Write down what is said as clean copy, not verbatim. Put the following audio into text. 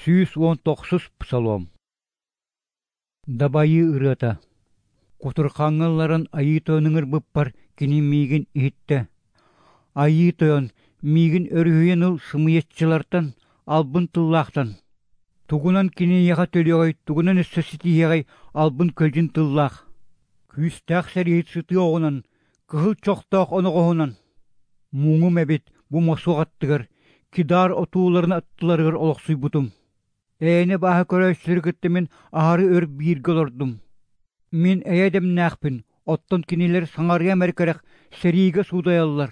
119 псалом. Дабайыы ырыата. Кутурхаҥҥа ылларан Айыы Тойон ыҥырбыппар кини миигин иһиттэ. Айыы Тойон, миигин өрүһүйэн ыл сымыйаччылартан, албын тыллаахтан. Тугунан кини эйиэхэ төлүөҕэй, тугунан өссө ситиһиэҕэй албын көлдьүн тыллаах. Күүстээх сэрииһит сытыы оҕунан, кыһыл чохтоох оноҕоһунан. Муҥум эбит бу мосуох аттыгар, Кидар отууларын аттыларыгар олохсуйбутум. Эйэни бааһы көрөөччүлэри кытта мин аһары өр бииргэ олордум. Мин эйэ дэмнээхпин, оттон кинилэр саҥарыам эрэ кэрэх сэриигэ суудайаллар.